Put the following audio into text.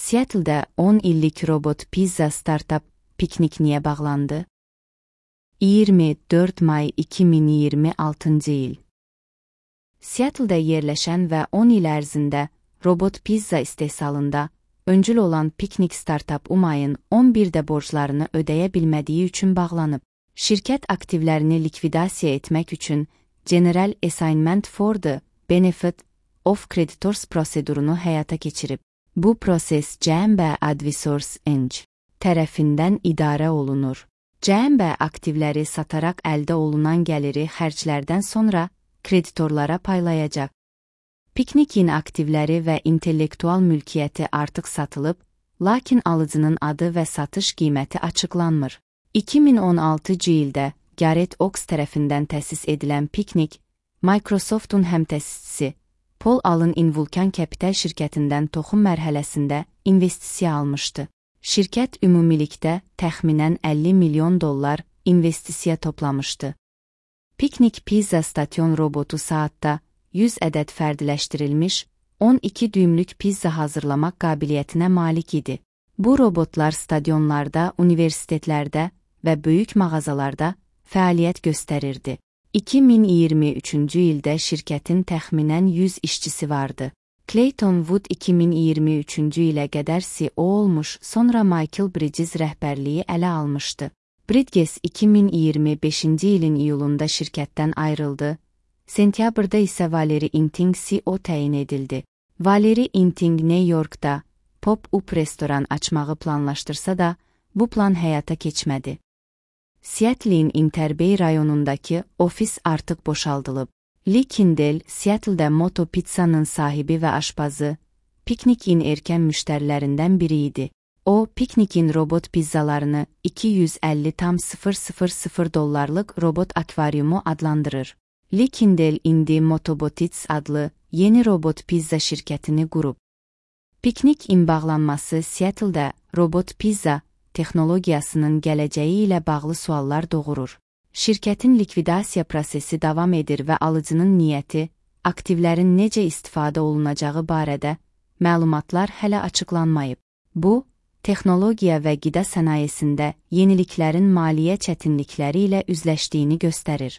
Seattle'da 10 illik robot pizza startup Piknik niyə bağlandı? 24 may 2026 il. Seattle'da yerləşən və 10 il ərzində robot pizza istehsalında öncül olan Piknik startup mayın 11-də borclarını ödəyə bilmədiyi üçün bağlanıb. Şirkət aktivlərini likvidasiya etmək üçün General Assignment for the Benefit of Creditors prosedurunu həyata keçirib. Bu proses CMB Advisors Inc. tərəfindən idarə olunur. CMB aktivləri sataraq əldə olunan gəliri xərclərdən sonra kreditorlara paylayacaq. Piknikin aktivləri və intellektual mülkiyyəti artıq satılıb, lakin alıcının adı və satış qiyməti açıqlanmır. 2016-cı ildə Garrett Oaks tərəfindən təsis edilən Piknik, Microsoft'un həmtəsisçisi Paul Allen Invulcan Capital şirkətindən toxum mərhələsində investisiya almışdı. Şirkət ümumilikdə təxminən $50 milyon investisiya toplamışdı. Piknik pizza stasyon robotu saatda 100 ədəd fərdiləşdirilmiş 12 düymlük pizza hazırlamaq qabiliyyətinə malik idi. Bu robotlar stadionlarda, universitetlərdə və böyük mağazalarda fəaliyyət göstərirdi. 2023-cü ildə şirkətin təxminən 100 işçisi vardı. Clayton Wood 2023-cü ilə qədər CEO olmuş, sonra Michael Bridges rəhbərliyi ələ almışdı. Bridges 2025-ci ilin iyulunda şirkətdən ayrıldı. Sentyabrda isə Valerie Inting CEO təyin edildi. Valerie Inting New York'da pop-up restoran açmağı planlaşdırsa da, bu plan həyata keçmədi. Seattle'in Interbay rayonundakı ofis artıq boşaldılıb. Lee Kindle, Seattle'da Moto Pizza'nın sahibi və aşpazı, Piknikin erkən müştərilərindən biri idi. O, Piknikin robot pizzalarını $250,000 robot akvaryumu adlandırır. Lee Kindle indi Motobotics adlı yeni robot pizza şirkətini qurub. Piknikin bağlanması Seattle'da robot pizza texnologiyasının gələcəyi ilə bağlı suallar doğurur. Şirkətin likvidasiya prosesi davam edir və alıcının niyyəti, aktivlərin necə istifadə olunacağı barədə məlumatlar hələ açıqlanmayıb. Bu, texnologiya və qida sənayesində yeniliklərin maliyyə çətinlikləri ilə üzləşdiyini göstərir.